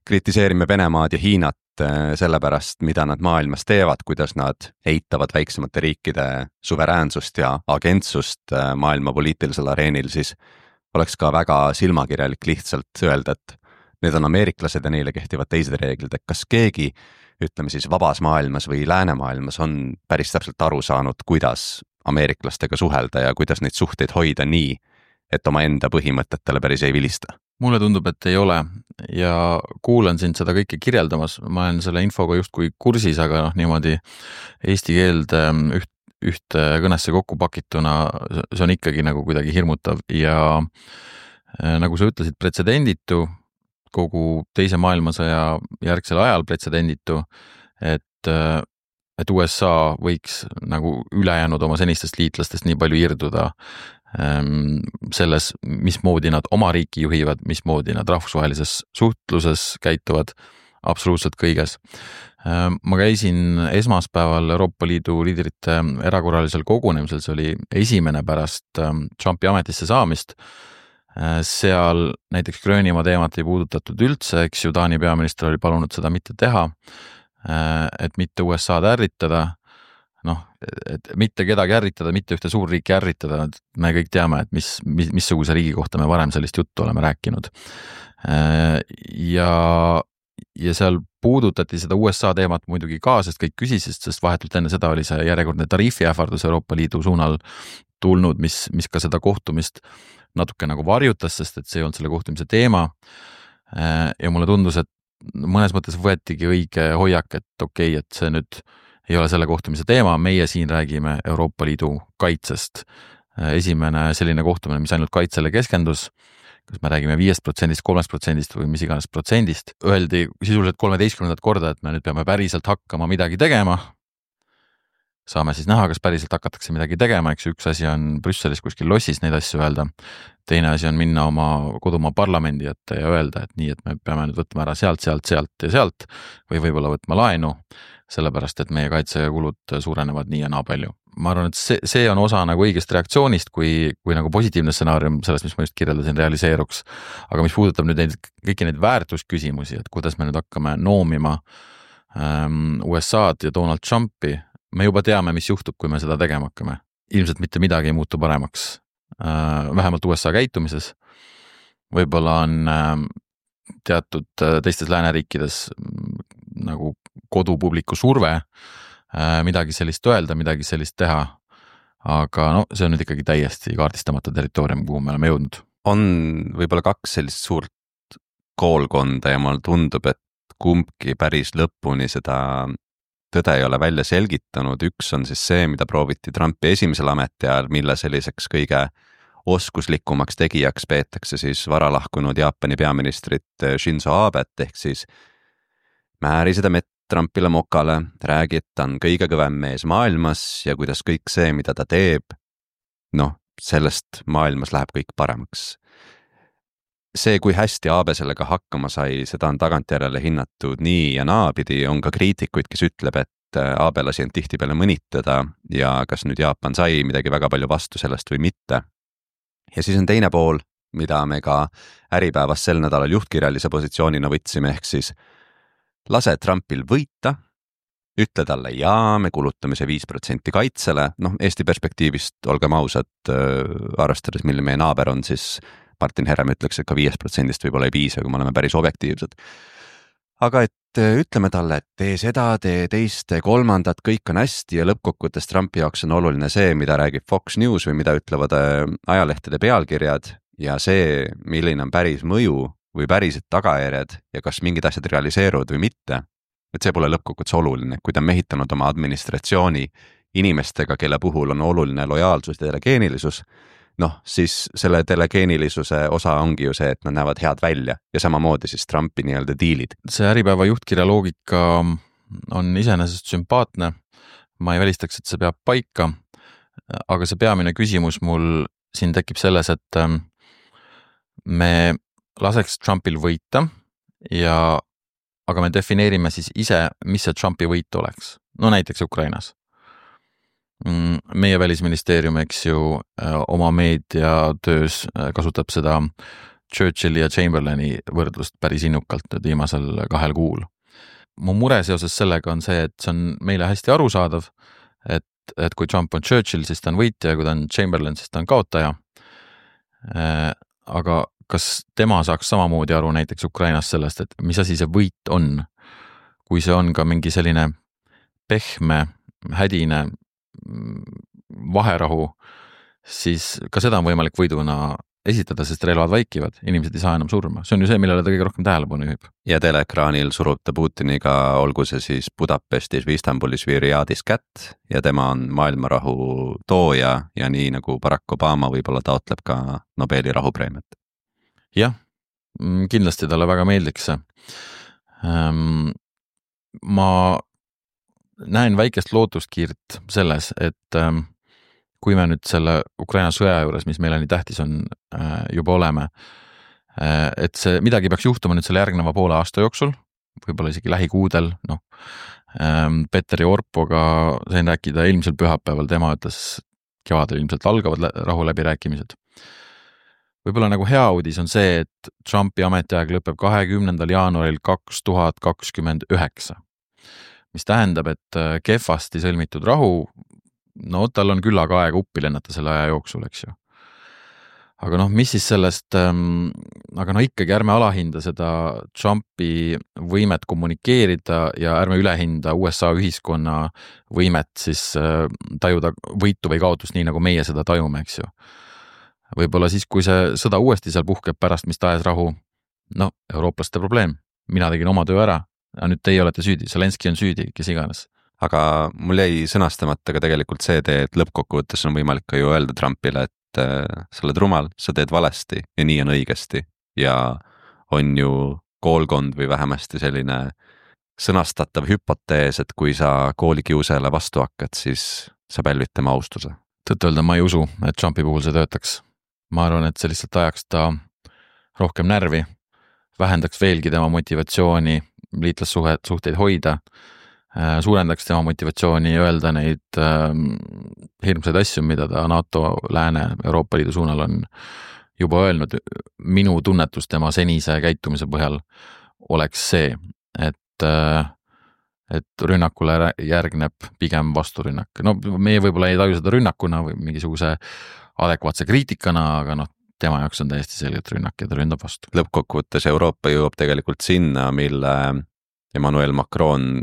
kritiseerime Venemaad ja Hiinat sellepärast, mida nad maailmas teevad, kuidas nad eitavad väiksemate riikide suveräänsust ja agentsust maailma poliitilisel areenil, siis oleks ka väga silmakirjalik lihtsalt öelda, et need on ameeriklased ja neile kehtivad teised reeglid, et kas keegi, ütleme siis vabas maailmas või läänemaailmas on päris täpselt aru saanud, kuidas ameeriklastega suhelda ja kuidas neid suhteid hoida nii, et oma enda põhimõtetele päris ei vilista. Mulle tundub, et ei ole ja kuulan sind seda kõike kirjeldamas, ma olen selle infoga justkui kursis, aga noh, niimoodi eesti keeld üht, üht kõnesse kokku pakituna, see on ikkagi nagu kuidagi hirmutav ja nagu sa ütlesid, pretsedenditu, kogu teise maailmasõja järgsel ajal pretsedenditu, et, et U S A võiks nagu ülejäänud oma senistest liitlastest nii palju irduda selles, mismoodi nad oma riiki juhivad, mismoodi nad rahvusvahelises suhtluses käituvad absoluutselt kõiges. Ma käisin esmaspäeval Euroopa Liidu liidrite erakorralisel kogunemisel, see oli esimene pärast Trumpi ametisse saamist. Seal näiteks Gröönimaa teemat ei puudutatud üldse, eks ju, Taani peaminister oli palunud seda mitte teha, et mitte U S A-d ärritada, noh, et mitte kedagi ärritada, mitte ühte suurriiki ärritada, me kõik teame, et mis, mis, missuguse riigi kohta me varem sellist juttu oleme rääkinud. Ja, ja seal puudutati seda U S A teemat muidugi ka, sest kõik küsisid, sest vahetult enne seda oli see järjekordne tariifiähvardus Euroopa Liidu suunal tulnud, mis, mis ka seda kohtumist natuke nagu varjutas, sest et see ei olnud selle kohtumise teema. ja mulle tundus, et mõnes mõttes võetigi õige hoiak, et okei okay,, et see nüüd ei ole selle kohtumise teema, meie siin räägime Euroopa Liidu kaitsest. Esimene selline kohtumine, mis ainult kaitsele keskendus, kas me räägime viiest protsendist, kolmest protsendist või mis iganes protsendist, öeldi sisuliselt kolmeteistkümnendat korda, et me nüüd peame päriselt hakkama midagi tegema. Saame siis näha, kas päriselt hakatakse midagi tegema, eks üks asi on Brüsselis kuskil lossis neid asju öelda, teine asi on minna oma kodumaa parlamendi ette ja öelda, et nii, et me peame nüüd võtma ära sealt, sealt, sealt ja sealt või võib-olla võtma laenu, sellepärast, et meie kaitsekulud suurenevad nii ja naa palju. Ma arvan, et see, see on osa nagu õigest reaktsioonist, kui, kui nagu positiivne stsenaarium sellest, mis ma just kirjeldasin, realiseeruks. Aga mis puudutab nüüd neid, kõiki neid väärtusküsimusi, et kuidas me nüüd hakkame noomima ähm, U S A-d ja Donald Trumpi, me juba teame, mis juhtub, kui me seda tegema hakkame. Ilmselt mitte midagi ei muutu paremaks, äh, vähemalt U S A käitumises. Võib-olla on äh, teatud äh, teistes lääneriikides nagu kodupubliku surve äh, midagi sellist öelda, midagi sellist teha, aga no see on nüüd ikkagi täiesti kaardistamata territoorium, kuhu me oleme jõudnud. On võib-olla kaks sellist suurt koolkonda ja mulle tundub, et kumbki päris lõpuni seda tõde ei ole välja selgitanud. Üks on siis see, mida prooviti Trumpi esimesel ametiajal, mille selliseks kõige oskuslikumaks tegijaks peetakse siis varalahkunud Jaapani peaministrit Shinzo Abet, ehk siis määri seda mett Trumpile mokale, räägi, et ta on kõige kõvem mees maailmas ja kuidas kõik see, mida ta teeb, noh, sellest maailmas läheb kõik paremaks. See, kui hästi Abe sellega hakkama sai, seda on tagantjärele hinnatud nii ja naapidi, on ka kriitikuid, kes ütleb, et Abe lasi end tihtipeale mõnitada ja kas nüüd Jaapan sai midagi väga palju vastu sellest või mitte. Ja siis on teine pool, mida me ka Äripäevas sel nädalal juhtkirjalise positsioonina võtsime, ehk siis lase Trumpil võita, ütle talle jaa, me kulutame see viis protsenti kaitsele, noh Eesti perspektiivist, olgem ausad, arvestades, mille meie naaber on, siis Martin Herem ütleks, et ka viis protsendist võib-olla ei piisa, kui me oleme päris objektiivsed. Aga et ütleme talle, et tee seda, tee teist, tee kolmandat, kõik on hästi ja lõppkokkuvõttes Trumpi jaoks on oluline see, mida räägib Fox News või mida ütlevad ajalehtede pealkirjad ja see, milline on päris mõju või päriselt tagajärjed ja kas mingid asjad realiseeruvad või mitte, et see pole lõppkokkuvõttes oluline, kui ta on mehitanud oma administratsiooni inimestega, kelle puhul on oluline lojaalsus ja telegeenilisus, noh, siis selle telegeenilisuse osa ongi ju see, et nad näevad head välja ja samamoodi siis Trumpi nii-öelda diilid. See Äripäeva juhtkirja loogika on iseenesest sümpaatne, ma ei välistaks, et see peab paika, aga see peamine küsimus mul siin tekib selles, et me laseks Trumpil võita ja aga me defineerime siis ise, mis see Trumpi võit oleks. No näiteks Ukrainas. Meie välisministeerium, eks ju, oma meediatöös kasutab seda Churchilli ja Chamberlaini võrdlust päris innukalt viimasel kahel kuul. Mu mure seoses sellega on see, et see on meile hästi arusaadav, et, et kui Trump on Churchill, siis ta on võitja ja kui ta on Chamberlain, siis ta on kaotaja. Aga kas tema saaks samamoodi aru näiteks Ukrainas sellest, et mis asi see võit on, kui see on ka mingi selline pehme, hädine vaherahu, siis ka seda on võimalik võiduna esitada, sest relvad vaikivad, inimesed ei saa enam surma. See on ju see, millele ta kõige rohkem tähelepanu juhib. Ja teleekraanil surub ta Putiniga, olgu see siis Budapestis või Istanbulis või Riadis kätt ja tema on maailmarahu tooja ja nii nagu Barack Obama võib-olla taotleb ka Nobeli rahupreemiat. Jah, kindlasti talle väga meeldiks see. Ma näen väikest lootuskiirt selles, et kui me nüüd selle Ukraina sõja juures, mis meile nii tähtis on, juba oleme, et see midagi peaks juhtuma nüüd selle järgneva poole aasta jooksul, võib-olla isegi lähikuudel, noh, Petteri Orpoga sain rääkida eelmisel pühapäeval, tema ütles, kevadel ilmselt algavad rahu läbirääkimised. Võib-olla nagu hea uudis on see, et Trumpi ametiaeg lõpeb kahekümnendal jaanuaril kaks tuhat kakskümmend üheksa, mis tähendab, et kehvasti sõlmitud rahu, no tal on küllaga aega uppi lennata selle aja jooksul, eks ju. Aga noh, mis siis sellest, aga no ikkagi ärme alahinda seda Trumpi võimet kommunikeerida ja ärme ülehinda U S A ühiskonna võimet siis tajuda võitu või kaotust nii, nagu meie seda tajume, eks ju. Võib-olla siis, kui see sõda uuesti seal puhkeb pärast mis tahes rahu, no eurooplaste probleem, mina tegin oma töö ära, nüüd teie olete süüdi, Zelenski on süüdi, kes iganes. Aga mul jäi sõnastamata ka tegelikult see tee, et lõppkokkuvõttes on võimalik ka ju öelda Trumpile, et äh, sa oled rumal, sa teed valesti ja nii on õigesti ja on ju koolkond või vähemasti selline sõnastatav hüpotees, et kui sa koolikiusajale vastu hakkad, siis sa pälvid tema austuse. Tõtt-öelda ma ei usu, et Trumpi puhul see töötaks. Ma arvan, et see lihtsalt ajaks ta rohkem närvi, vähendaks veelgi tema motivatsiooni liitlassuhteid hoida, suurendaks tema motivatsiooni öelda neid äh, hirmsaid asju, mida ta NATO, Lääne, Euroopa Liidu suunal on juba öelnud. Minu tunnetus tema senise käitumise põhjal oleks see, et, äh, et rünnakule järgneb pigem vasturünnak. No meie võib-olla ei taju seda rünnakuna või mingisuguse adekvaatse kriitikana, aga noh, tema jaoks on täiesti selgelt rünnak ja ta ründab vastu. Lõppkokkuvõttes Euroopa jõuab tegelikult sinna, mille Emmanuel Macron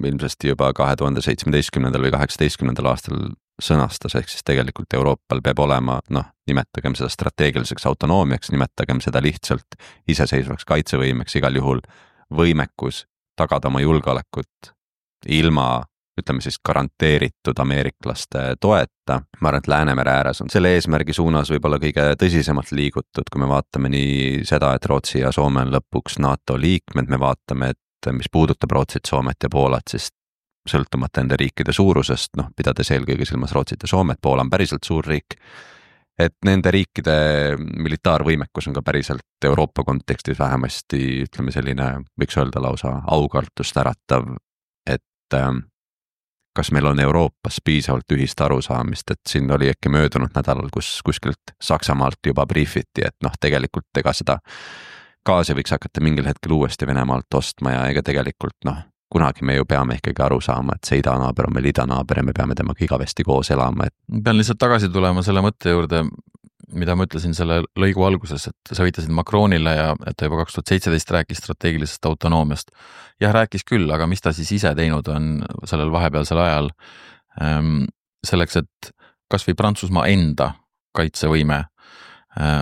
ilmsesti juba kahe tuhande seitsmeteistkümnendal või kaheksateistkümnendal aastal sõnastas, ehk siis tegelikult Euroopal peab olema, noh, nimetagem seda strateegiliseks autonoomiaks, nimetagem seda lihtsalt iseseisvaks kaitsevõimeks, igal juhul võimekus tagada oma julgeolekut ilma, ütleme siis, garanteeritud ameeriklaste toeta. Ma arvan, et Läänemere ääres on selle eesmärgi suunas võib-olla kõige tõsisemalt liigutud, kui me vaatame nii seda, et Rootsi ja Soome on lõpuks NATO liikmed, me vaatame, et mis puudutab Rootsit, Soomet ja Poolat, siis sõltumata ende riikide suurusest, noh, pidades eelkõige silmas Rootsit ja Soomet, Poola on päriselt suur riik, et nende riikide militaarvõimekus on ka päriselt Euroopa kontekstis vähemasti, ütleme selline, võiks öelda lausa aukartust äratav, et kas meil on Euroopas piisavalt ühist arusaamist, et siin oli äkki möödunud nädalal, kus kuskilt Saksamaalt juba briefiti, et noh, tegelikult ega seda gaasi võiks hakata mingil hetkel uuesti Venemaalt ostma ja ega tegelikult noh, kunagi me ju peame ikkagi aru saama, et see idanaaber on meil idanaaber ja me peame temaga igavesti koos elama. Et... pean lihtsalt tagasi tulema selle mõtte juurde, mida ma ütlesin selle lõigu alguses, et sa viitasid Macronile ja et ta juba kaks tuhat seitseteist rääkis strateegilisest autonoomiast. Jah, rääkis küll, aga mis ta siis ise teinud on sellel vahepealsel ajal ähm, selleks, et kas või Prantsusmaa enda kaitsevõime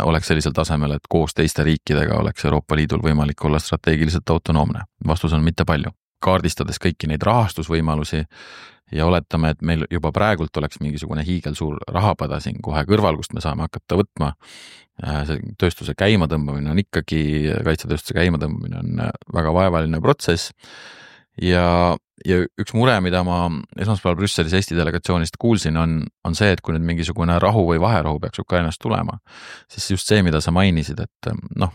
oleks sellisel tasemel, et koos teiste riikidega oleks Euroopa Liidul võimalik olla strateegiliselt autonoomne. Vastus on mitte palju. Kaardistades kõiki neid rahastusvõimalusi ja oletame, et meil juba praegult oleks mingisugune hiigelsuur rahapada siin kohe kõrval, kust me saame hakata võtma. See tööstuse käimatõmbamine on ikkagi, kaitsetööstuse käimatõmbamine on väga vaevaline protsess ja Ja üks mure, mida ma esmaspäeval Brüsselis Eesti delegatsioonist kuulsin, on, on see, et kui nüüd mingisugune rahu või vaherahu peaks Ukrainast tulema, siis just see, mida sa mainisid, et noh,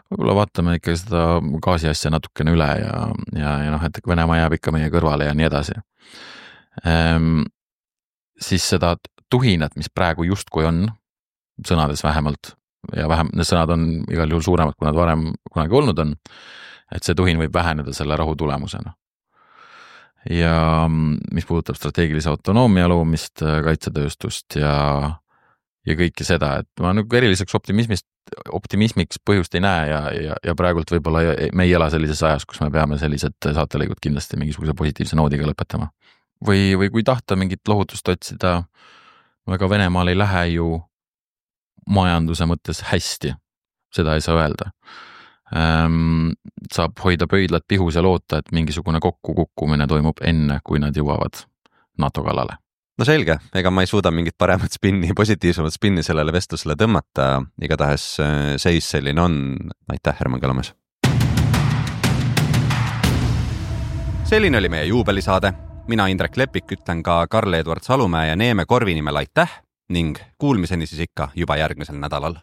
võib-olla vaatame ikka seda gaasi asja natukene üle ja, ja, ja noh, et Venemaa jääb ikka meie kõrvale ja nii edasi. Ehm, siis seda tuhinat, mis praegu justkui on, sõnades vähemalt, ja vähem, need sõnad on igal juhul suuremad, kui nad varem kunagi olnud on, et see tuhin võib väheneda selle rahu tulemusena. Ja mis puudutab strateegilise autonoomia loomist, kaitsetööstust ja, ja kõike seda, et ma nagu eriliseks optimismist, optimismiks põhjust ei näe ja, ja, ja praegult võib-olla me ei ela sellises ajas, kus me peame sellised saatelõigud kindlasti mingisuguse positiivse noodiga lõpetama. Või, või kui tahta mingit lohutust otsida, väga Venemaal ei lähe ju majanduse mõttes hästi, seda ei saa öelda. Ähm, saab hoida pöidlat pihus ja loota, et mingisugune kokkukukkumine toimub enne, kui nad jõuavad NATO kallale. No selge, ega ma ei suuda mingit paremat spinni, positiivsemat spinni sellele vestlusele tõmmata, igatahes seis selline on. Aitäh, Herman Kalamäes! Selline oli meie juubelisaade. Mina Indrek Lepik ütlen ka Karl-Edward Salumäe ja Neeme Korvi nimel aitäh ning kuulmiseni siis ikka juba järgmisel nädalal.